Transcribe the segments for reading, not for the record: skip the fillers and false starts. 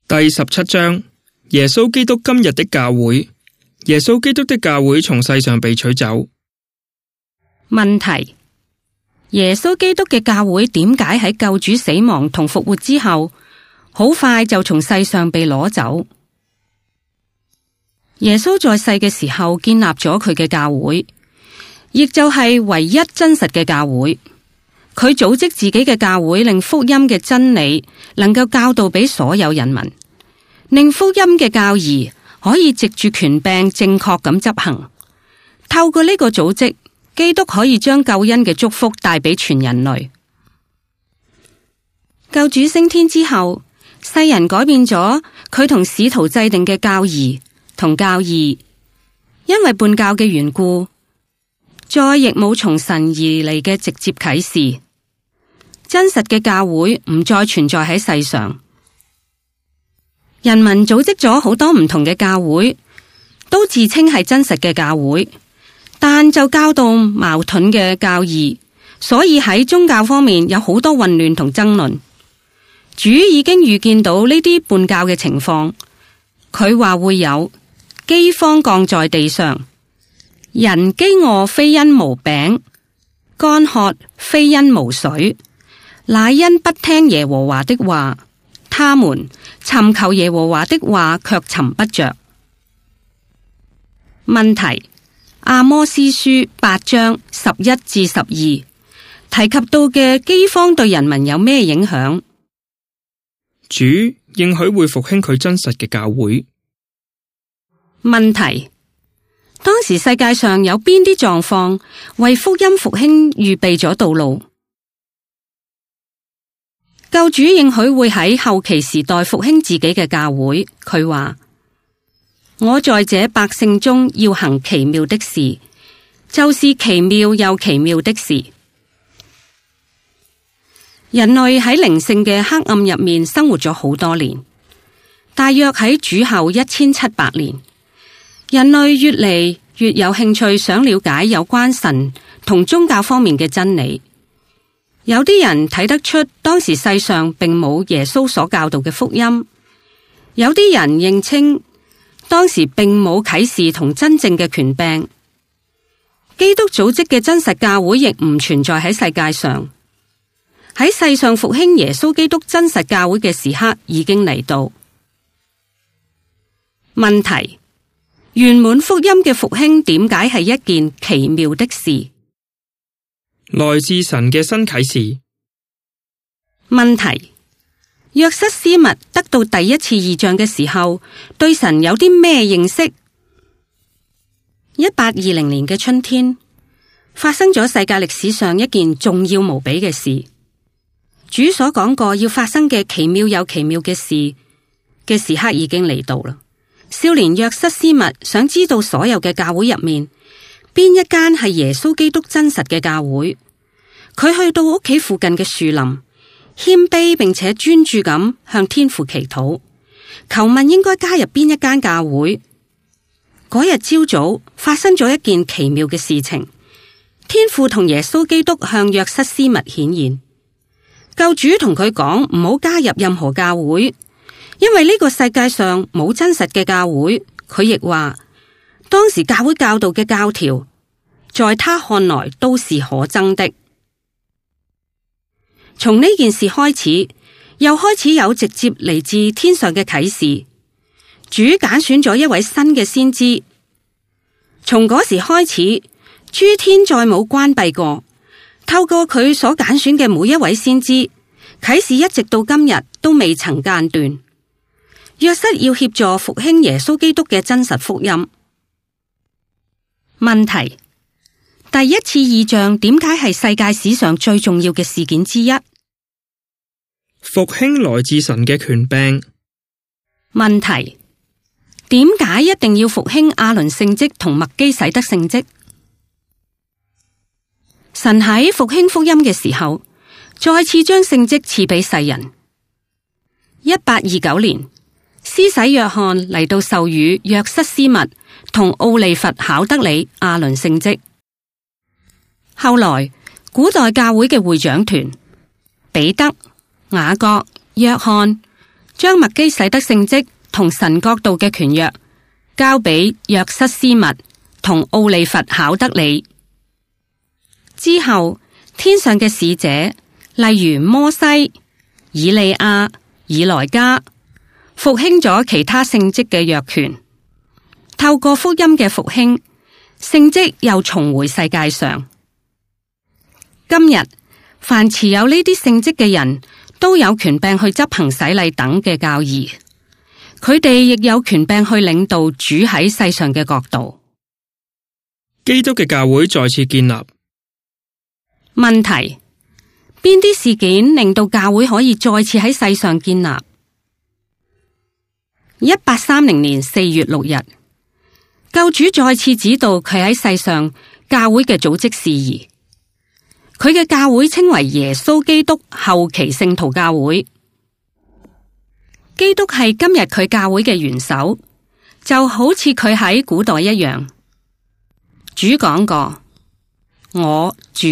第17章，耶穌基督今日的教會。耶穌基督的教會從世上被取走。問題：耶穌基督嘅教會點解喺救主死亡同復活之後，好快就從世上被攞走？耶穌在世嘅時候建立咗佢嘅教會，亦就係唯一真實嘅教會。佢組織自己嘅教會，令福音嘅真理能夠教導俾所有人民，令福音嘅教義可以藉住權柄正確咁執行。透過呢個組織，基督可以將救恩嘅祝福帶俾全人類。救主升天之後，世人改變咗佢同使徒制定嘅教義同教義，因為叛教嘅緣故，再亦冇從神而嚟嘅直接啟示。真實嘅教會唔再存在喺世上，人民組織咗好多唔同嘅教會，都自稱係真實嘅教會，但就教導矛盾嘅教義，所以喺宗教方面有好多混亂同爭論。主已經預見到呢啲叛教嘅情況，佢話會有饑荒降在地上，人飢餓非因無餅，乾渴非因無水，乃因不聽耶和華的話，他們尋求耶和華的話卻尋不着。問題：阿摩司書8章11至12提及到嘅饑荒對人民有咩影響？主應許會復興佢真實嘅教會。問題：當時世界上有邊啲狀況為福音復興預備咗道路？救主應許會喺後期時代復興自己嘅教會。佢話：我在這百姓中要行奇妙的事，就是奇妙又奇妙的事。人類喺靈性嘅黑暗入面生活咗好多年，大約喺主後1700年，人類越嚟越有興趣想了解有關神同宗教方面嘅真理。有啲人睇得出當時世上並冇耶穌所教導嘅福音，有啲人認清當時並冇啟示同真正嘅權柄。基督組織嘅真實教會亦唔存在喺世界上。喺世上復興耶穌基督真實教會嘅時刻已經嚟到。問題：圓滿福音嘅復興點解係一件奇妙的事？來自神嘅新啟示。問題：約瑟斯密得到第一次異象嘅時候，對神有啲咩認識？1820年嘅春天，發生咗世界歷史上一件重要無比嘅事。主所講過要發生嘅奇妙又奇妙嘅事嘅時刻已經嚟到啦。少年約瑟斯密想知道所有嘅教會入面，邊一間係耶穌基督真實嘅教會？佢去到屋企附近嘅樹林，謙卑並且專注咁向天父祈禱，求問應該加入邊一間教會。嗰日朝早發生咗一件奇妙嘅事情，天父同耶穌基督向約瑟斯密顯現，救主同佢講唔好加入任何教會，因為呢個世界上冇真實嘅教會。佢亦話當時教會教導嘅教條，在他看來都是可憎的。從呢件事開始，又開始有直接嚟自天上嘅啟示。主揀選咗一位新嘅先知，從嗰時開始，諸天再冇關閉過。透過佢所揀選嘅每一位先知，啟示一直到今日都未曾間斷。約瑟要協助復興耶穌基督嘅真實福音。問題：第一次異象點解係世界史上最重要嘅事件之一？復興來自神嘅權柄。問題：點解一定要復興亞倫聖職同麥基洗德聖職？神喺復興福音嘅時候，再次將聖職賜俾世人。1829年，施洗約翰嚟到授予約瑟斯密同奧利弗考德里亞倫聖職。後來，古代教會嘅會長團彼得、雅各、約翰將麥基洗德聖職同神國度嘅權約交俾約瑟斯密同奧利弗考德里。之後，天上嘅使者，例如摩西、以利亞、以萊加，復興咗其他聖職嘅約權。透過福音嘅復興，聖職又重回世界上。今日，凡持有呢啲聖職嘅人都有權柄去執行洗禮等嘅教義，佢哋亦有權柄去領導主喺世上嘅國度。基督嘅教會再次建立。問題：邊啲事件令到教會可以再次喺世上建立？1830年4月6日，救主再次指導佢喺世上教會嘅組織事宜。佢嘅教會稱為耶穌基督後期聖徒教會。基督係今日佢教會嘅元首，就好似佢喺古代一樣。主講過：我主，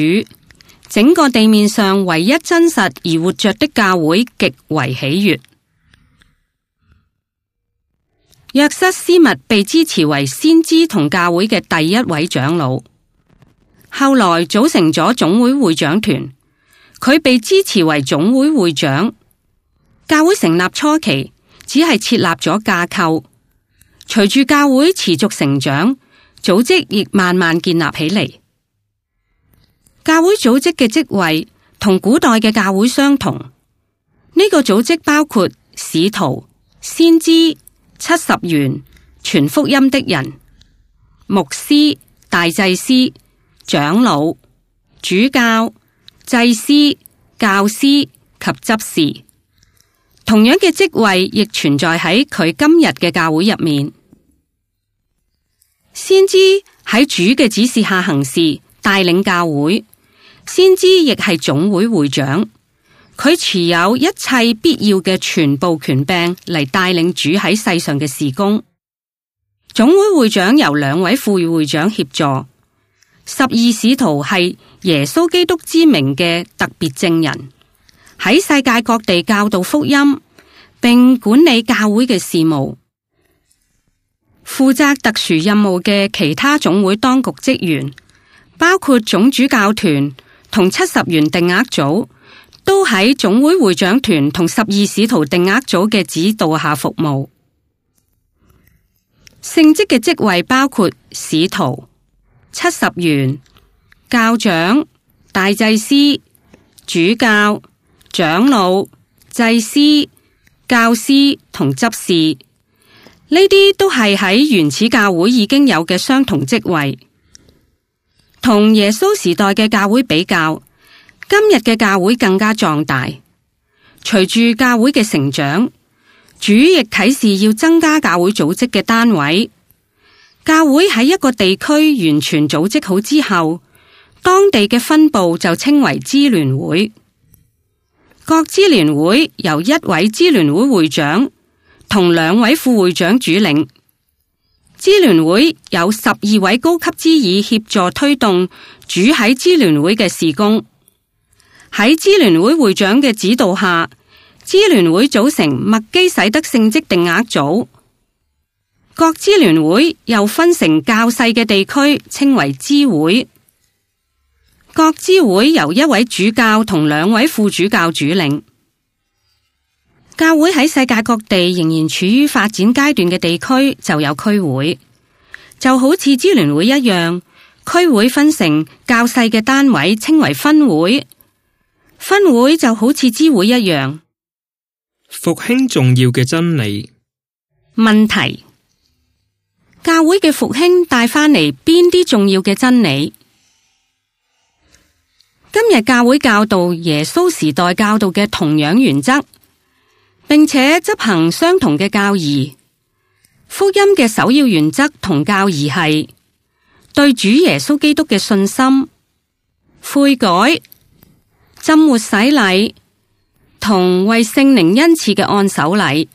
整個地面上唯一真實而活着的教會極為喜悅。約瑟斯密被支持為先知同教會嘅第一位長老，後來組成咗總會會長團，佢被支持為總會會長。教會成立初期只係設立咗架構，隨住教會持續成長，組織亦慢慢建立起嚟。教會組織嘅職位同古代嘅教會相同，呢個組織包括使徒、先知、70員、傳福音的人、牧師、大祭司、長老、主教、祭司、教師及執事。同樣嘅職位亦存在喺佢今日嘅教會入面。先知喺主嘅指示下行事，帶領教會。先知亦係總會會長，佢持有一切必要嘅全部權柄嚟帶領主喺世上嘅事工。總會會長由2位副會長協助。12使徒係耶穌基督之名嘅特別證人，喺世界各地教導福音，並管理教會嘅事務。負責特殊任務嘅其他總會當局職員，包括總主教團同70員定額組，都喺總會會長團同12使徒定額組嘅指導下服務。聖職嘅職位包括使徒、70員、教長、大祭司、主教、長老、祭司、教師同執事，呢啲都係喺原始教會已經有嘅相同職位。同耶穌時代嘅教會比較，今日嘅教會更加壯大。隨住教會嘅成長，主亦啟示要增加教會組織嘅單位。教會喺一個地區完全組織好之後，當地嘅分部就稱為支聯會。各支聯會由1位支聯會會長同2位副會長主領。支聯會有12位高級支議協助推動主喺支聯會嘅事工。喺支聯會會長嘅指導下，支聯會組成麥基洗德聖職定額組。各支聯會又分成較細嘅地區，稱為支會。各支會由1位主教同2位副主教主領。教會喺世界各地仍然處於發展階段嘅地區就有區會，就好似支聯會一樣，區會分成較細嘅單位，稱為分會。分會就好似支會一樣。復興重要嘅真理。問題：教會嘅復興帶返嚟邊啲重要嘅真理？今日教會教導耶穌時代教導嘅同樣原則，並且執行相同嘅教義。福音嘅首要原則同教義係對主耶穌基督嘅信心、悔改、浸活洗禮同為聖靈恩賜嘅按手禮。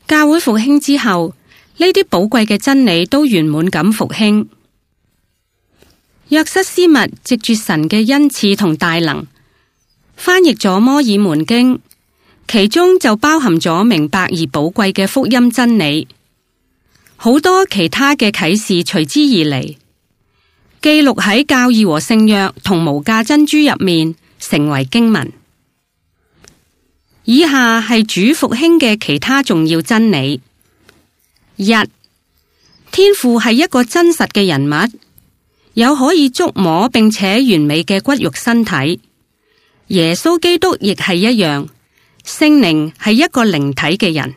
教會復興之後，呢啲寶貴嘅真理都圓滿咁復興。約瑟斯密藉住神嘅恩賜同大能，翻譯咗摩爾門經，其中就包含咗明白而寶貴嘅福音真理，好多其他嘅啟示隨之而嚟，記錄喺教義和聖約同無價珍珠入面，成為經文。以下係主復興嘅其他重要真理：一、天父係一個真實嘅人物，有可以觸摸並且完美嘅骨肉身體。耶穌基督亦係一樣，聖靈係一個靈體嘅人。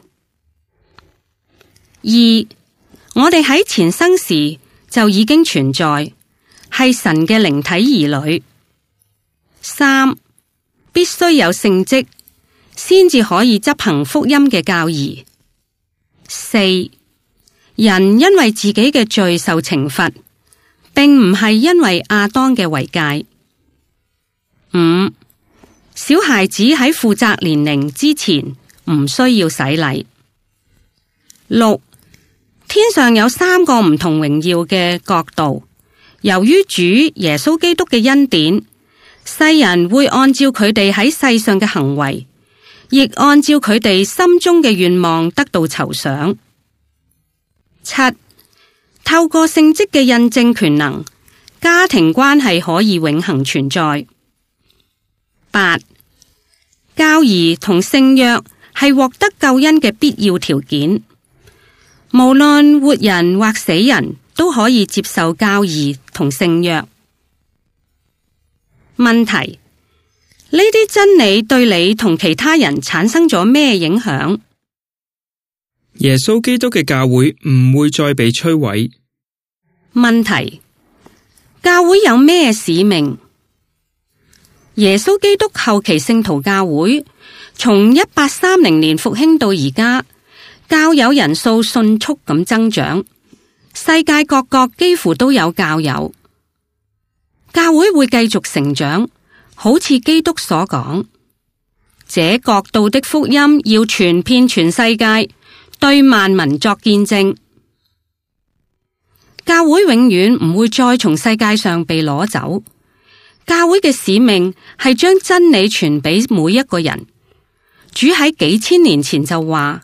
二、我哋喺前生時就已經存在，係神嘅靈體兒女。三、必須有聖職，先至可以執行福音嘅教義。四、人因為自己嘅罪受懲罰，並唔係因為亞當嘅違戒。五、小孩子喺負責年齡之前唔需要洗禮。六、天上有三個唔同榮耀嘅國度，由於主耶穌基督嘅恩典，世人會按照佢哋喺世上嘅行為，亦按照佢哋心中嘅願望得到酬賞。七、透過聖職嘅印證權能，家庭關係可以永恆存在。八、教義同聖約係獲得救恩嘅必要條件，無論活人或死人都可以接受教義同聖約。問題：呢啲真理對你同其他人產生咗咩影響？耶穌基督嘅教會唔會再被摧毀。問題：教會有咩使命？耶穌基督後期聖徒教會從1830年復興到而家，教友人數迅速咁增長，世界各國幾乎都有教友。教會會繼續成長，好似基督所講，這國度的福音要傳遍全世界，對萬民作見證。教會永遠唔會再從世界上被攞走。教會嘅使命係將真理傳俾每一個人。主喺幾千年前就話，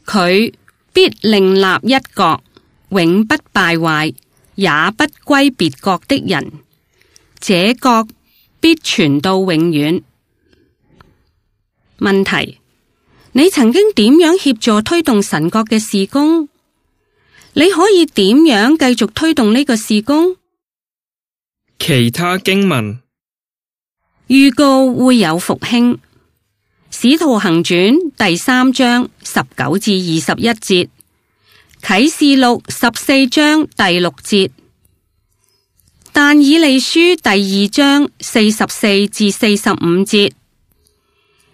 佢必另立一國，永不敗壞，也不歸別國的人，這國必傳到永遠。問題：你曾經點樣協助推動神國嘅事工？你可以點樣繼續推動呢個事工？其他經文預告會有復興。使徒行傳第3章19至21節，啟示錄14章第6節，但以理書第2章44至45節，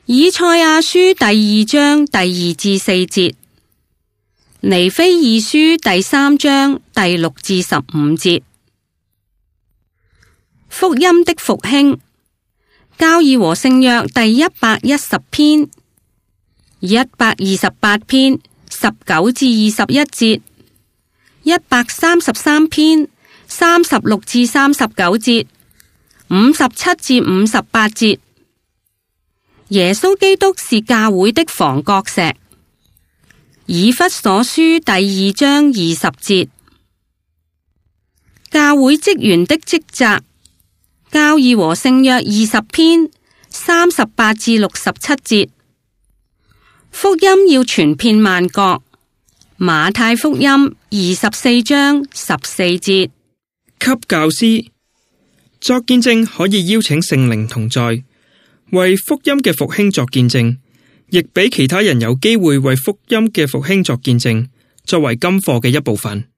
以賽亞書第2章第2至4節，尼非二書第3章第6至15節。福音的復興，教義和聖約第110篇、128篇19至21節、133篇36至39節、57至58節。耶穌基督是教會的房角石。以弗所書第2章20節。教會職員的職責，教義和聖約20篇38至67節。福音要傳遍萬國。馬太福音24章14節。給教師作見證，可以邀請聖靈同在，為福音嘅復興作見證，亦俾其他人有機會為福音嘅復興作見證，作為金課嘅一部分。